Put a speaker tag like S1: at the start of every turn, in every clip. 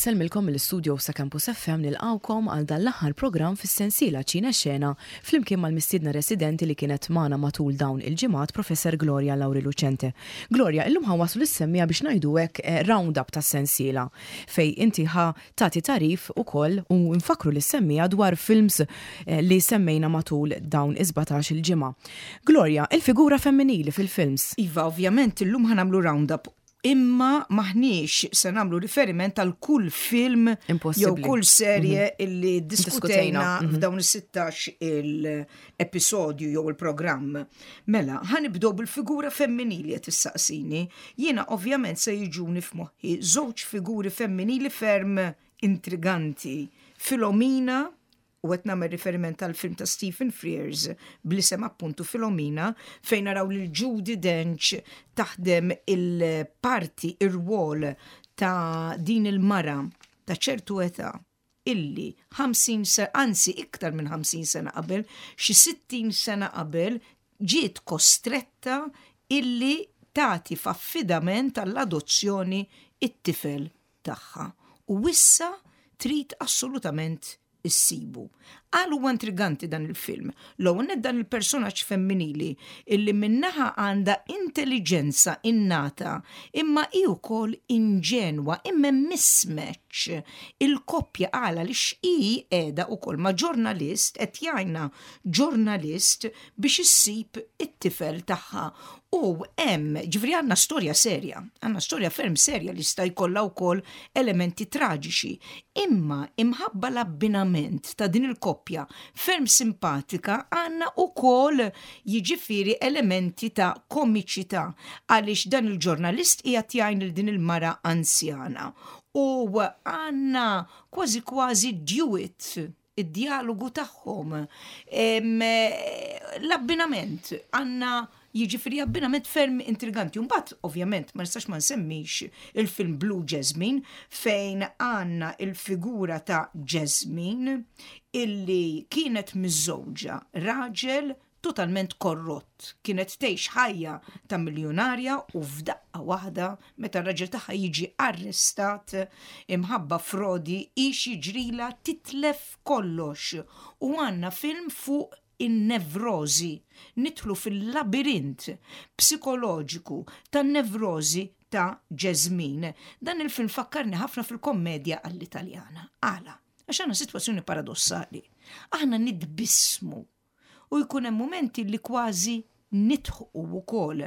S1: Insellmilkom mill-istudio sa Campus FM nilqgħukom għal dan l-aħħar programm fis-sensiela Ċine Xena flimkien mal-mistiedna residenti li kienet magħna matul dawn il-ġimgħat Professor Gloria Lauri Lucente. Gloria, illum ħa waslu lis-semmiegħa biex ngħidu hekk eh, round-up tas-sensiela fejn inti ħa tagħti tagħrif ukoll u nfakkru lis-semmiegħa dwar films eh, li semmejna matul dawn is-17 il-ġimgħa. Gloria, il-figura femminili fil-films.
S2: Iva, ovvjament illum ħa nagħmlu round-up imma maħniex se nagħmlu riferiment għal kull film jew kull serje mm -hmm. illi diskutejna mm -hmm. f'dawn is-16 il-episodju jew il-programm. Mela, ħa nibdew bil-figura femminili qed issaqsini. Jiena ovvjament se jiġuni f'moħħi żewġ figuri femminili ferm intriganti. Filomena u qed nagħmel riferiment għal film ta' Stephen Frears bl-isem appuntu Filomena fejn naraw lil Judi Dench taħdem il-parti ir-rwol ta' din il-mara ta' ċertu età illi 50 sena, anzi iktar minn 50 sena qabel, xi 60 sena qabel ġiet kostretta illi tagħti f'affidament għall-adozzjoni it-tifel tagħha u issa trid assolutament issibu. Għal huwa intriganti dan il-film. L-ewwel nett dan il-personaġġ femminili illi min-naħa għandha intelliġenza innata imma hi wkoll inġenwa imma mismatch. Il-koppja għala li hi qiegħda wkoll ma' ġurnalist qed jgħinha ġurnalist biex issib it-tifel tagħha. U hemm, ġifieri għandna storja serja, għandna storja ferm serja li jista' jkollha wkoll elementi traġiċi. Imma imħabba l-abbinament ta' din il-koppja ferm simpatika għandna wkoll jiġifieri elementi ta' komiċità għaliex dan il-ġurnalist qiegħed jgħin lil din il-mara anzjana. U għandna kważi kważi duet id-djalogu tagħhom, l-abbinament, għandna jiġifieri abbinament ferm intriganti. Mbagħad, ovvjament, ma nistax ma nsemmix il-film Blue Jasmine fejn għandna il-figura ta' Jasmine illi kienet miżżewġa raġel totalment korrott. Kienet tgħix ħajja ta' miljonarja u f'daqqa waħda meta r-raġel tagħha jiġi arrestat imħabba frodi hi x'jiġrilha titlef kollox u għandna film fuq in-nevrożi. Nidħlu fil-labirint psikoloġiku tan-nevrożi ta' Jasmine. Dan il-film fakkarni ħafna fil-kommedja għall-Italjana. Għala? Għax għandna sitwazzjoni paradossali. Aħna nitbissmu u jkun hemm mumenti li kważi nidħqu wkoll.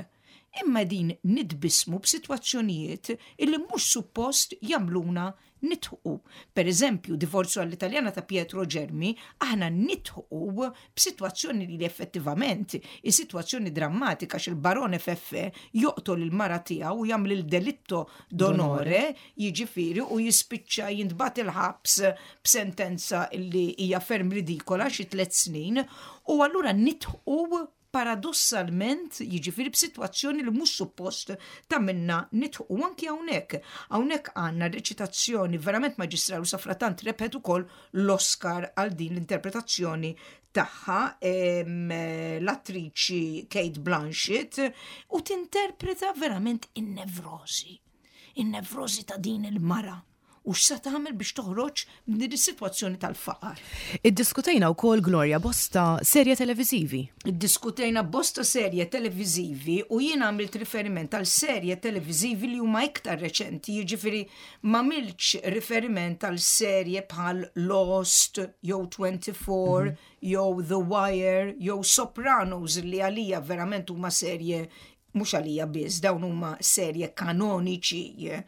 S2: Imma din nitbissmu b'sitwazzjonijiet illi mhux suppost jagħmluna nidħqu. Per eżempju, Divorzju għall-Italjana ta' Pietro Germi, aħna nidħqu b'sitwazzjoni li effettivament hi sitwazzjoni drammatika għax il-Barone Feffe joqtol il-mara tiegħu u jagħmel il-delitto d'onore, jiġifieri u jispiċċa jintbagħat il-ħabs b'sentenza li hija ferm ridikola xi tliet snin u allura nidħqu paradossalment jiġifieri b'sitwazzjoni li mhux suppost tagħmilna nidħqu anki hawnhekk. Hawnhekk għandna reċitazzjoni verament maġistrali u safratant rebħet ukoll l-Oscar għal din l-interpretazzjoni tagħha l-attriċi Kate Blanchett u tinterpreta verament in-nevrożi. In-nevrożi ta' din il-mara u x'sa tagħmel biex toħroġ minn din is-sitwazzjoni tal-faqar.
S1: Iddiskutejna wkoll Gloria bosta serje televiżivi.
S2: Iddiskutejna bosta serje televiżivi u jien għamilt riferiment għal serje televiżivi li huma iktar reċenti, jiġifieri m'għamiltx riferiment għal serje bħal Lost jew 24 mm -hmm. jew The Wire jew Sopranos li għalija verament huma serje mhux għalija biss, dawn huma serje kanoniċi.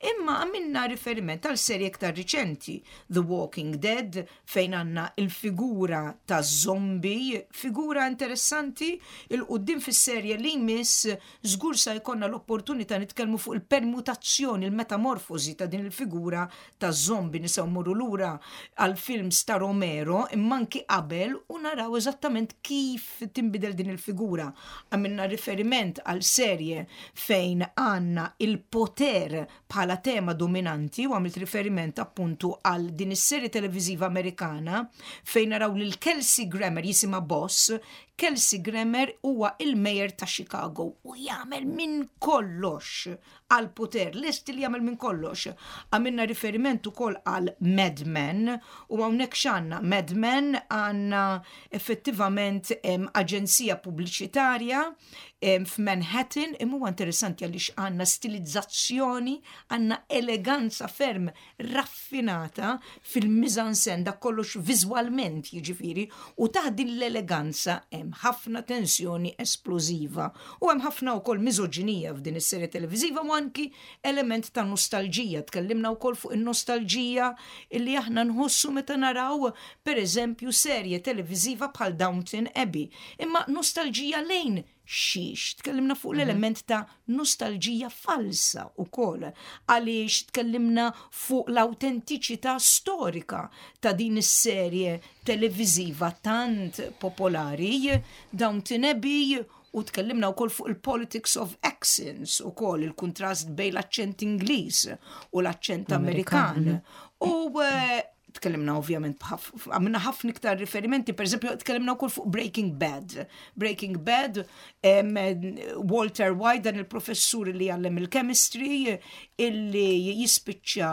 S2: Imma għamilna riferiment għal serje iktar riċenti, The Walking Dead, fejn għandna il-figura ta' zombie, figura interessanti, il-qudiem fis-serje li jmiss żgur sa jkollna l-opportunità nitkellmu fuq il-permutazzjoni, il-metamorfosi ta' din il-figura ta' zombie nistgħu mmorru lura għal films ta' Romero imma anki qabel u naraw eżattament kif tinbidel din il-figura. Għamilna riferiment għal għal serje fejn għandna il-poter bħala tema dominanti u għamilt riferiment appuntu għal din is-serje televiżiva Amerikana fejn naraw lil Kelsey Grammer jisimha Boss, Kelsey Grammer huwa il-mayor ta' Chicago u jagħmel minn kollox għal poter, lest li jagħmel minn kollox. Għamilna riferiment ukoll għal Mad Men u hawnhekk x'għandna Mad Men għandna effettivament aġenzija pubbliċitarja f'Manhattan imma huwa interessanti għaliex għandna stilizzazzjoni, għandna eleganza ferm raffinata fil-mizansen dak kollox viżwalment jiġifieri u taħt din l-eleganza hemm ħafna tensjoni esplożiva u hemm ħafna wkoll miżoġinija f'din is-serje televiżiva u anki element ta' nostalġija. Tkellimna wkoll fuq in-nostalġija illi aħna nħossu meta naraw pereżempju serje televiżiva bħal Downton Abbey. Imma nostalġija lejn xiex? Tkellimna fuq l-element ta' nostalġija falsa wkoll għaliex tkellimna fuq l-awtentiċità storika ta' din is-serje televiżiva tant popolari Downton Abbey u tkellimna wkoll fuq il-politics of accents ukoll il-kuntrast bejn l-aċċent Ingliż u l-aċċent Amerikan. U eh, tkellimna ovvjament għamilna ħafna iktar riferimenti, per eżempju, tkellimna wkoll fuq Breaking Bad. Breaking Bad, Walter White, dan il-professur li għallem il-chemistry, illi jispiċċa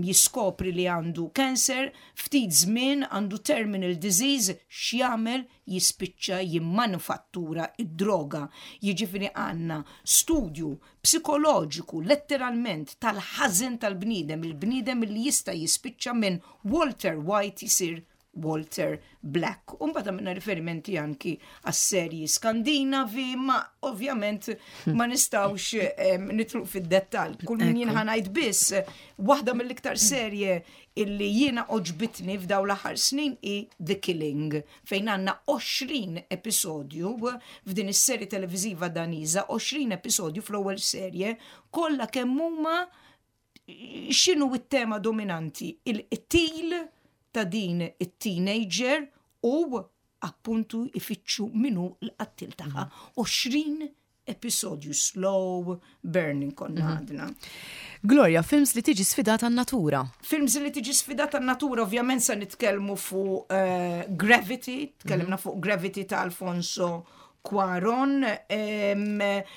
S2: jiskopri li għandu cancer, ftit żmien għandu terminal disease, x'jagħmel jispiċċa jimmanufattura id-droga. Jiġifieri għandna studju psikoloġiku letteralment tal-ħażen tal-bniedem, il-bniedem li jista' jispiċċa minn Walter White jisir Walter Black. U mbagħad għamilna riferimenti anki għas-serji Skandinavi, ma ovvjament ma nistgħux nitluq fid-dettall. Kull min jien ħanajt biss waħda mill-iktar serje illi jiena oġbitni f'daw l-aħħar snin hi The Killing, fejn għandna 20 episodju f'din is-serje televiżiva Daniża, 20 episodju fl-ewwel serje, kollha kemm huma x'inhu t-tema dominanti, il-qtil ta' din it-teenager u appuntu ifittxu minu l-qattil tagħha. 20 episodju slow burning konna mhm. għadna.
S1: Gloria, films li tiġi sfidata n-natura.
S2: Films li tiġi sfidata n-natura, ovvjament sa nitkellmu fuq uh, Gravity, tkellimna mm -hmm. fuq Gravity ta' Alfonso Cuaron,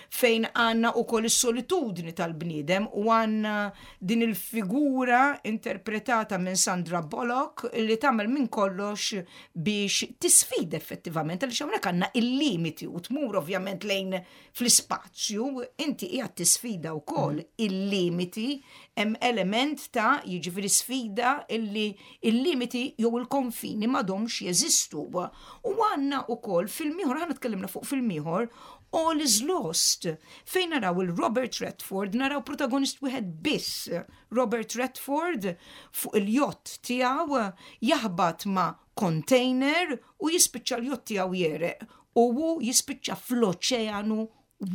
S2: fejn għanna u koll is-solitudni tal-bniedem u għanna din il-figura interpretata minn Sandra Bullock li tagħmel minn kollox biex tisfida effettivament għaliex hawnhekk għandna il-limiti u tmur ovvjament lejn fl-ispazju, inti qiegħed tisfida wkoll mm. il-limiti hemm element ta' jiġifieri sfida illi il-limiti jew il-konfini m'għadhomx jeżistu. U għandna wkoll film ieħor, aħna tkellimna fuq film ieħor, All is Lost, fejn naraw il-Robert Redford, naraw protagonist wieħed biss, Robert Redford fuq il-jott tiegħu jaħbat ma' container u jispiċċa l-jott tiegħu jereq u hu jispiċċa fl-oċeanu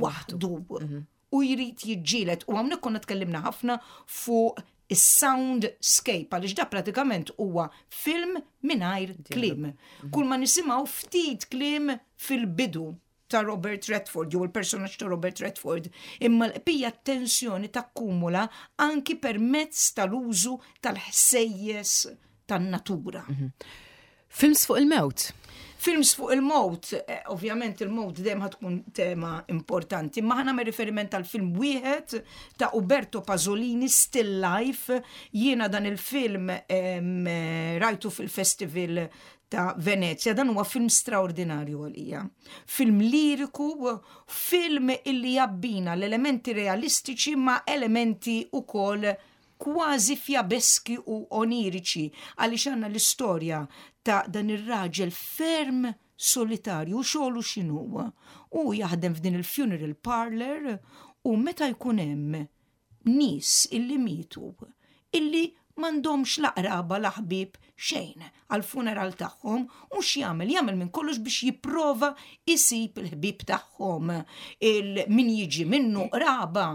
S2: waħdu. Mhm. U jrid jiġġieled u hawnhekk konna tkellimna ħafna fuq is-soundscape għaliex da pratikament huwa film mingħajr kliem. Mhm. Kull ma nisimgħu ftit kliem fil-bidu ta' Robert Redford, jew il-personaġġ ta' Robert Redford, imma l-qbija tensjoni takkumula anki permezz tal-użu tal-ħsejjes tan-natura. Mhm.
S1: Films fuq il-mewt.
S2: Films fuq il-mewt, eh, ovvjament il-mewt dejjem tkun tema importanti, ma ħana riferiment tal film wieħed ta' Uberto Pasolini Still Life, jiena dan il-film eh, rajtu fil-festival ta' Venezia, dan huwa film straordinarju għalija. Film liriku, film illi jabbina l-elementi realistiċi ma' elementi ukoll kważi fjabeski u oniriċi għaliex għandna l-istorja ta' dan ir-raġel ferm solitarju u xogħlu x'inhu. Hu jaħdem f'din il-funeral parlor u meta jkun hemm nies illi mietu illi m'għandhomx la qraba la ħbieb xejn għall-funeral tagħhom u x'jagħmel? Jagħmel minn kollox biex jipprova jsib il-ħbieb tagħhom, il min jiġi minnu qraba.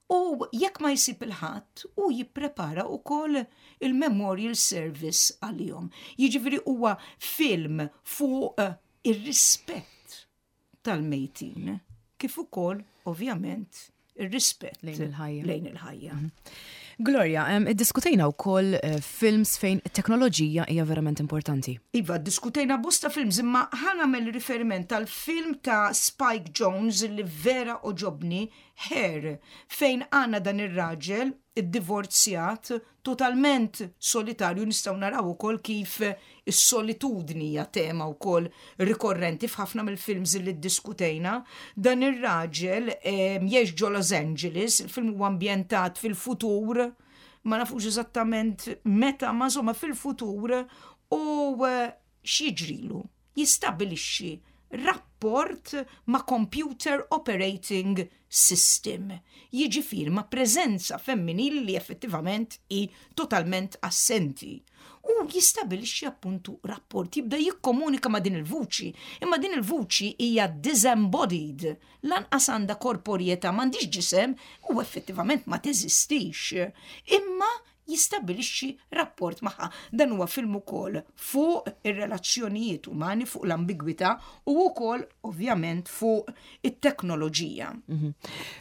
S2: U jekk ma jsib il-ħadd, hu jipprepara wkoll il-memorial service għalihom. Jiġifieri huwa film fuq ir-rispett tal-mejtin. kif ukoll ovvjament ir-rispett
S1: lejn il-ħajja.
S2: Lejn il-ħajja.
S1: Gloria, iddiskutejna wkoll eh, films fejn it-teknoloġija hija verament importanti.
S2: Iva, diskutejna bosta films imma ħa nagħmel riferiment tal film ta' Spike Jonze li vera għoġobni Her, fejn għandna dan ir-raġel iddivorzjat totalment solitarju nistgħu naraw ukoll kif is-solitudni hija tema wkoll rikorrenti f'ħafna mill-films li ddiskutejna. Dan ir-raġel jgħix ġo Los Angeles, il-film huwa ambjentat fil-futur, ma nafux eżattament meta, ma insomma fil-futur u eh, x'jiġrilu? Jistabilixxi rapport ma' computer operating system, jiġifieri ma' preżenza femminili li effettivament hi totalment assenti. U jistabilixxi appuntu rapport, jibda jikkomunika ma' din il-vuċi, imma din il-vuċi hija disembodied, lanqas għandha korporjetà, m'għandhiex ġisem u effettivament ma teżistix. Imma jistabbilixxi rapport magħha. Dan huwa film ukoll fuq ir-relazzjonijiet umani, fuq l-ambigwità u wkoll ovvjament fuq it-teknoloġija.
S1: Mhm.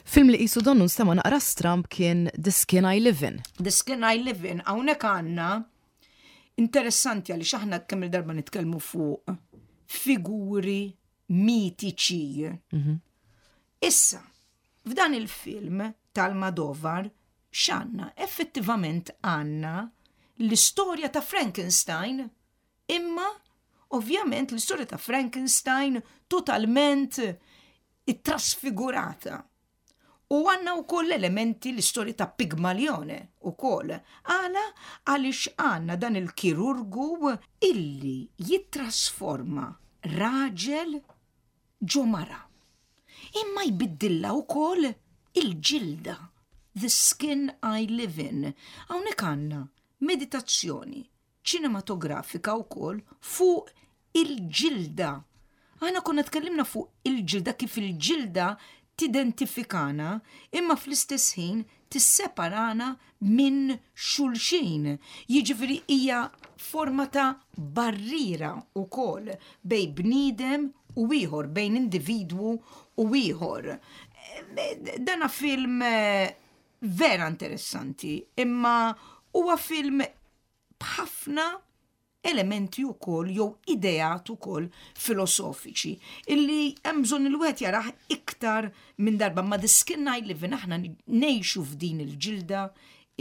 S1: Film li qisu donnu nstema' naqra stramb kien The Skin I Live In.
S2: The Skin I Live In hawnhekk għandna interessanti għaliex aħna kemm il-darba nitkellmu fuq figuri mitiċi. Mhm. Issa, f'dan il-film tal-Madovar x'għandna? Effettivament għandna l-istorja ta' Frankenstein, imma ovvjament l-istorja ta' Frankenstein totalment ittrasfigurata. U għandna wkoll elementi l-istorja ta' Pigmalione ukoll. Għala għaliex għandna dan il-kirurgu illi jittrasforma raġel ġo mara. Imma jbiddilha wkoll il-ġilda, the skin I live in. Hawnhekk għandna meditazzjoni ċinematografika wkoll fuq il-ġilda. Aħna konna tkellimna fuq il-ġilda kif il-ġilda tidentifikana imma fl-istess ħin tisseparana minn xulxin. Jiġifieri hija forma ta' barriera wkoll bejn bniedem u ieħor, bejn individwu u ieħor. Dana film eh, vera interessanti, imma huwa film b'ħafna elementi wkoll jew ideat ukoll filosofiċi illi hemm bżonn il wieħed jarah iktar minn darba ma the skin I live in aħna ngħixu f'din il-ġilda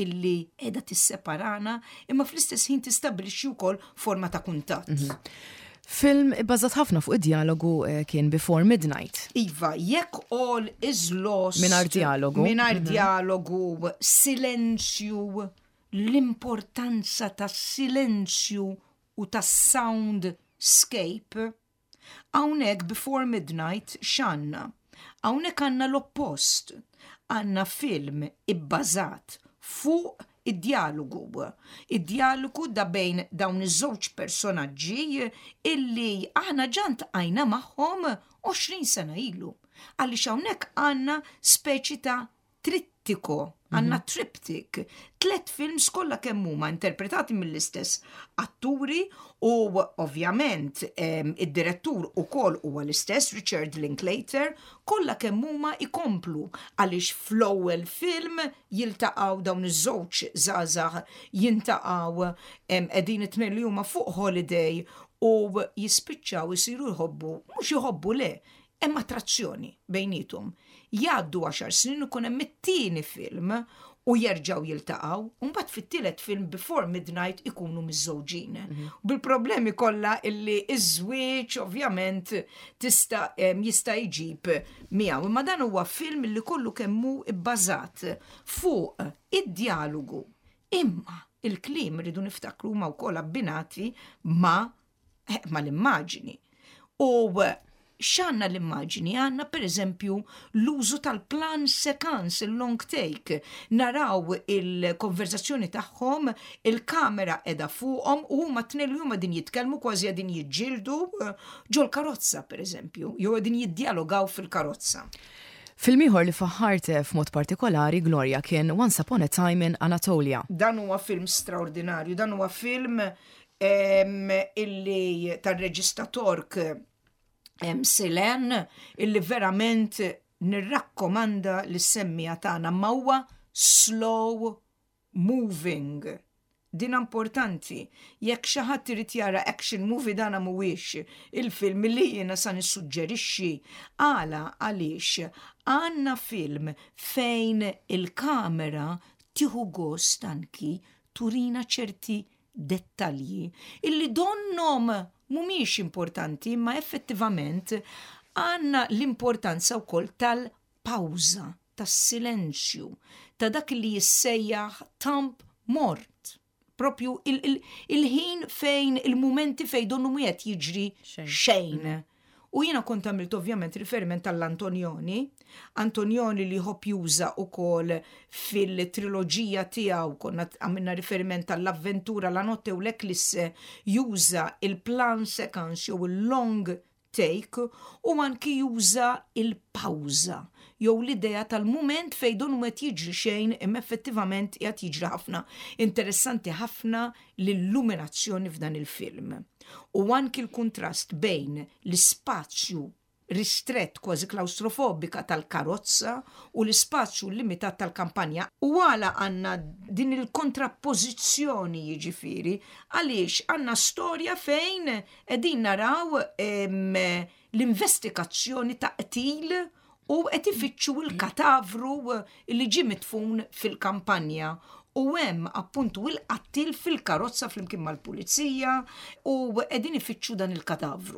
S2: illi qiegħda tisseparana imma fl-istess ħin tistabbilixxi wkoll forma ta' kuntatt. Mhm.
S1: Film ibbażat ħafna fuq id-dialogu eh, kien Before Midnight.
S2: Iva, jekk all is lost.
S1: Mingħajr dialogu.
S2: Mingħajr mhm. dialogu, silenzju, l-importanza tas-silenzju u tas-sound scape, hawnhekk Before Midnight x'għandna? Hawnhekk għandna l-oppost. Għandna film ibbażat fuq id-djalogu. Id-djalogu da bejn dawn iż-żewġ personaġġi illi aħna ġa ntqajna magħhom 20 sena ilu. Għaliex hawnhekk għandna speċi ta' trittiko, għandna mhm. triptych, tlet films kollha kemm huma interpretati mill-istess atturi u ovvjament id-direttur ukoll huwa l-istess Richard Linklater, kollha kemm huma ikomplu għaliex fl-ewwel film jiltaqgħu dawn iż-żewġ żgħażagħ jintaqgħu qegħdin it-tnejn li huma fuq holiday u jispiċċaw isiru jħobbu, mhux jħobbu le, Hemm attrazzjoni bejniethom. Jgħaddu għaxar snin u jkun hemm it-tieni film u jerġgħu jiltaqgħu, u mbagħad fit-tielet film Before Midnight ikunu miżżewġin. Mhm. Bil-problemi kollha illi iż-żwieġ ovvjament tista' jista' jġib miegħu. Imma dan huwa film li kollu kemm hu bbażat fuq id-djalogu. Imma il-kliem rridu niftakru huma wkoll abbinati ma' eh, mal-immaġini. U eh, x'għandna l-immaġini? Għandna per eżempju l-użu tal-plan sekans, il-long take. Naraw il-konverzazzjoni tagħhom, il-kamera edha fuqhom u huma tnejn li huma din jitkellmu kważi qegħdin jiġġieldu eh, ġol-karozza per eżempju, jew qegħdin jiddjalogaw fil-karozza.
S1: Film ieħor li faħħart f'mod partikolari, Gloria, kien Once Upon a Time in Anatolia.
S2: Dan huwa film straordinarju, dan huwa film illi tar-reġista Tork Silen illi verament nirrakkomanda lis-semmiegħa tagħna ma huwa slow moving. Din importanti. Jekk xi ħadd irid jara action movie dana mhuwiex il-film li jiena sa nissuġġerixxi. Għala għaliex għandna film fejn il-kamera tieħu gost anki turina ċerti dettalji illi donnhom mhumiex importanti imma effettivament għandna l-importanza wkoll tal-pawża, tas-silenzju, ta' dak li jissejjaħ temp mort. Propju il-ħin fejn il-mumenti fejn donnu mhu qed jiġri xejn. U jiena kont għamilt ovvjament riferiment għall-Antonioni, Antonioni li jħobb juża wkoll fil-triloġija tiegħu, konna għamilna riferiment għall-avventura La Notte u l-Eclisse, juża il-plan sequence jew il-long take u anki juża il-pawża jew l-idea tal-mument fejn donnu mhu qed jiġri xejn imma effettivament qiegħed jiġri ħafna. Interessanti ħafna l-illuminazzjoni f'dan il-film. U anki l-kuntrast bejn l-ispazju ristrett kważi klawstrofobika tal-karozza u l-ispazju limitat tal-kampanja. U għala għandna din il-kontrappożizzjoni jiġifieri? Għaliex għandna storja fejn qegħdin naraw l-investigazzjoni ta' qtil u qed ifittxu l-katavru li ġie midfun fil-kampanja u hemm appuntu il-qattil fil-karozza flimkien mal-pulizija u qegħdin ifittxu dan il-katavru.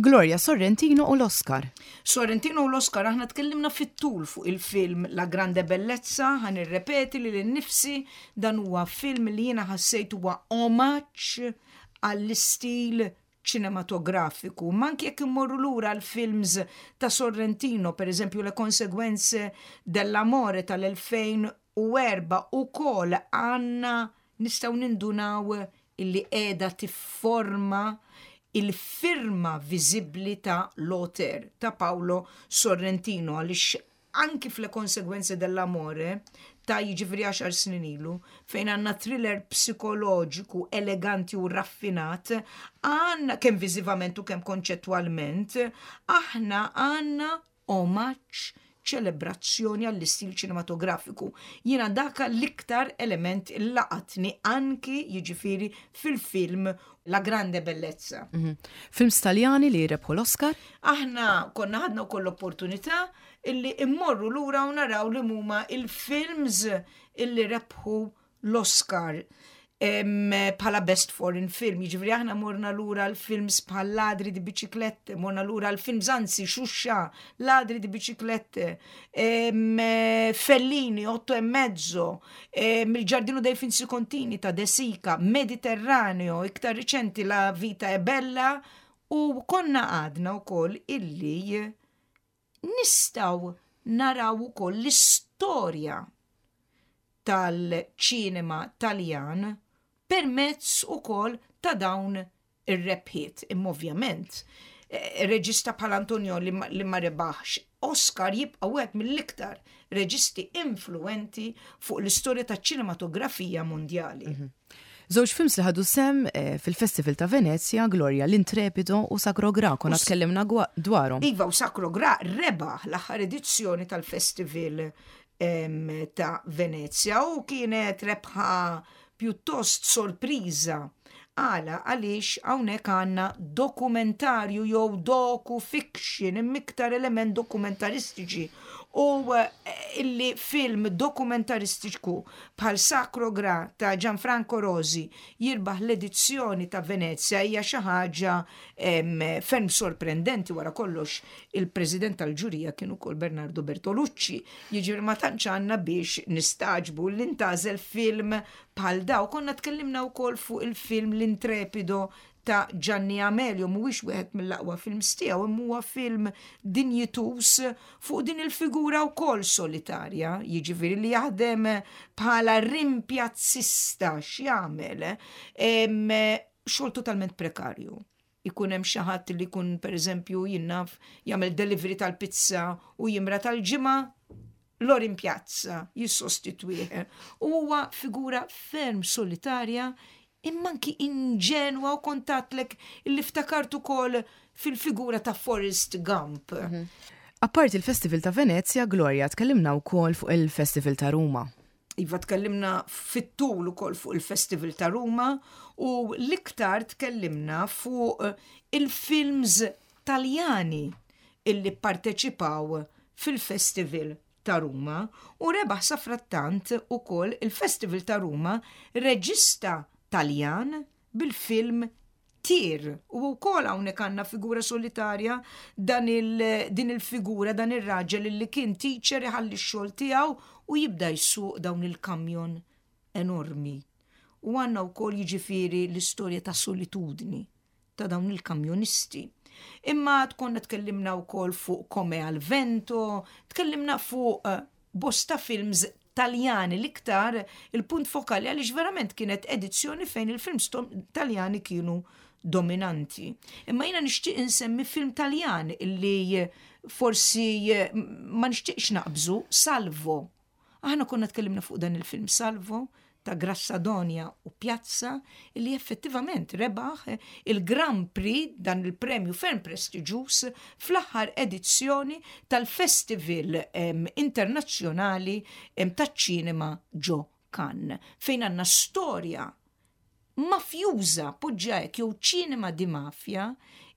S1: Gloria Sorrentino u l-Oscar.
S2: Sorrentino u l-Oscar aħna tkellimna fit-tul fuq il-film La Grande Bellezza, ħa nirrepeti lili nnifsi, dan huwa film li jiena ħassejt huwa omaġġ għall-istil ċinematografiku. Ma anki jekk immorru lura għall-films ta' Sorrentino, per eżempju Le Conseguenze dell'amore tal-2004 ukoll għandna nistgħu nindunaw illi qiegħda tifforma il-firma viżibbli ta' l-auteur, ta' Paolo Sorrentino, għaliex anki f'Le Conseguenze dell'amore ta' jiġifieri għaxar snin ilu, fejn għandna thriller psikoloġiku eleganti u raffinat, għandna kemm viżivament u kemm konċettwalment, aħna għandna omaġġ, ċelebrazzjoni għall-istil ċinematografiku. Jiena dak l-iktar element il laqatni anki jiġifieri fil-film La Grande Bellezza.
S1: Mhm. Films Taljani li rebħu l-Oscar?
S2: Aħna konna ħadna wkoll l-opportunità illi immorru lura u naraw li huma il-films illi rebħu l-Oscar bħala Best Foreign Film. Jiġifieri aħna morna lura l-films bħal Ladri di Biciclette, morna lura l-films anzi Xuxa, Ladri di Biciclette, Fellini, Otto e Mezzo, Il Giardino dei Finzi Contini ta' De Sica, Mediterraneo, iktar riċenti La Vita è Bella u konna għadna wkoll illi nistgħu naraw ukoll l-istorja tal-ċinema Taljan permezz ukoll ta' dawn ir-rebħiet. Imma ovvjament, eh, reġista bħal Antonio li ma rebaħx Oscar jibqa' wieħed mill-iktar reġisti influenti fuq l-istorja taċ-ċinematografija mondjali. Mhm.
S1: Żewġ films li ħadu sem eh, fil-Festival ta' Venezia, Gloria, l-Intrepido u Sacro Gra, konna tkellimna dwarhom.
S2: Iva, u Sacro Gra rebaħ l-aħħar edizzjoni tal-Festival ta' Venezia u kienet rebħa pjuttost sorpriża. Għala għaliex hawnhekk għandna dokumentarju jew docu-fiction imma iktar element dokumentaristiċi u eh, illi film dokumentaristiku bħal Sacro Gra ta' Gianfranco Rosi jirbaħ l-edizzjoni ta' Venezia hija xi ħaġa ferm sorprendenti wara kollox il-president tal-ġurija kien ukoll Bernardo Bertolucci. Jiġifieri ma tantx għandna biex nistagħġbu li ntgħażel film bħal daw. Konna tkellimna wkoll fuq il-film L-Intrepido ta' Gianni Amelio, mhuwiex wieħed mill-aqwa films tiegħu, imma huwa film dinjituż fuq din il-figura wkoll solitarja, jiġifieri li jaħdem bħala rimpjazzista x'jagħmel xogħol totalment prekarju ikun hemm xi ħadd li jkun pereżempju jien naf jagħmel delivery tal-pizza u jimra tal-ġimgħa Lorin Pjazza jissostitwih. U huwa figura ferm solitarja imma anki inġenwa u kontatlek illi ftakart ukoll fil-figura ta' Forrest Gump. Mhm.
S1: Apparti il-Festival ta' Venezia, Gloria, tkellimna wkoll fuq il-Festival ta' Ruma.
S2: Iva tkellimna fit-tul ukoll fuq il-Festival ta' Ruma u l-iktar tkellimna fuq eh, il-films Taljani illi pparteċipaw fil-Festival ta' Ruma u rebaħ safrattant ukoll il-Festival ta' Ruma reġista Taljan bil-film Tir. U wkoll hawnhekk għandna figura solitarja dan il, din il-figura dan ir-raġel li kien teacher iħalli x-xogħol tiegħu u jibda jsuq dawn il-kamjon enormi. U għandna wkoll jiġifieri l-istorja ta' solitudni ta' dawn il-kamjonisti. Imma tkonna tkellimna wkoll fuq Come al Vento, tkellimna fuq eh, bosta films Taljani l-iktar il-punt fokali għaliex verament kienet edizzjoni fejn il-films Taljani kienu dominanti. Imma jiena nixtieq insemmi film Taljan illi forsi ma nixtieqx naqbżu, Salvo. Aħna konna tkellimna fuq dan il-film Salvo ta' Grassadonia u Piazza li effettivament rebaħ il-Grand Prix, dan il-premju ferm prestiġjuż, fl-aħħar edizzjoni tal-Festival Internazzjonali taċ-Ċinema ġo Cannes, fejn għandna storja mafjuża, poġġiha hekk, jew ċinema di mafja,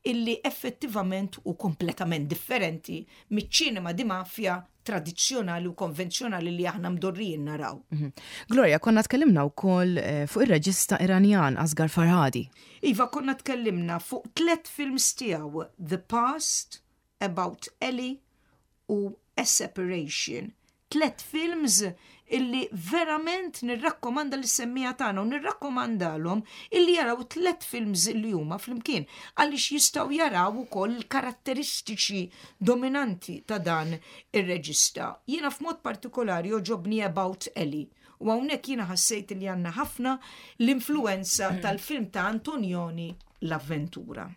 S2: illi effettivament hu kompletament differenti miċ-ċinema di mafja tradizzjonali u konvenzjonali li aħna mdorrijin naraw. Mhm.
S1: Gloria, konna tkellimna wkoll eh, fuq ir-reġista Iranjan Asghar Farhadi.
S2: Iva, konna tkellimna fuq tlet films tiegħu, The Past, About Ellie u A Separation. Tlet films illi verament nirrakkomanda lis-semmiegħa tagħna u nirrakkomandalhom illi jaraw tlet films illi huma flimkien għaliex jistgħu jaraw ukoll il-karatteristiċi dominanti ta' dan ir-reġista. Jiena f'mod partikolari jogħġobni About Ellie u hawnhekk jiena ħassejt li għandna ħafna l-influenza tal-film ta' Antonioni l-avventura.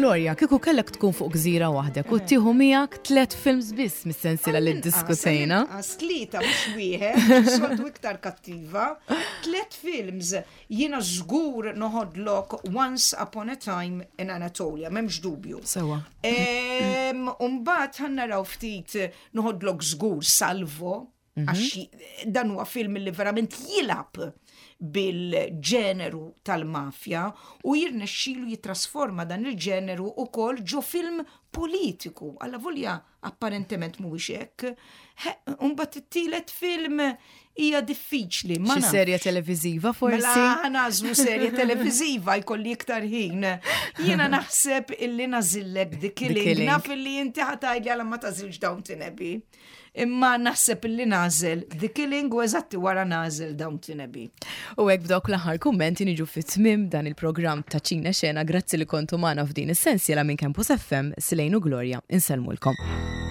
S1: Gloria, kieku kellek tkun fuq gżira waħdek u tieħu miegħek tlet films biss mis-sensiela li ddiskutejna.
S2: Tlieta mhux wieħed, soltu iktar kattiva. Tlet films jiena żgur noħodlok Once Upon a Time in Anatolia, m'hemmx dubju.
S1: Sewa.
S2: Umbagħad ħa naraw ftit noħodlok żgur Salvo, mhm. għax dan huwa film li verament jilab bil-ġeneru tal-mafja u jirnexxilu jitrasforma dan il-ġeneru ukoll ġo film politiku. Alla volja apparentement mhuwiex hekk. Imbagħad it-tielet film hija diffiċli.
S1: Ma Xi serje televiżiva forsi?
S2: Mela nagħżlu serje televiżiva jkolli iktar ħin. Jiena naħseb illi nażillek The Killing. Naf illi inti ħa tgħidli għala ma tażilx Downton Abbey. Imma naħseb illi nagħżel The Killing u eżatti wara nagħżel Downton Abbey.
S1: U hekk b'dawk l-aħħar kummenti niġu fi tmiem dan il-programm ta' Ċine Xena. Grazzi li kontu magħna f'din is-sensiela minn Campus FM, Silejn u Gloria, insellmulkom.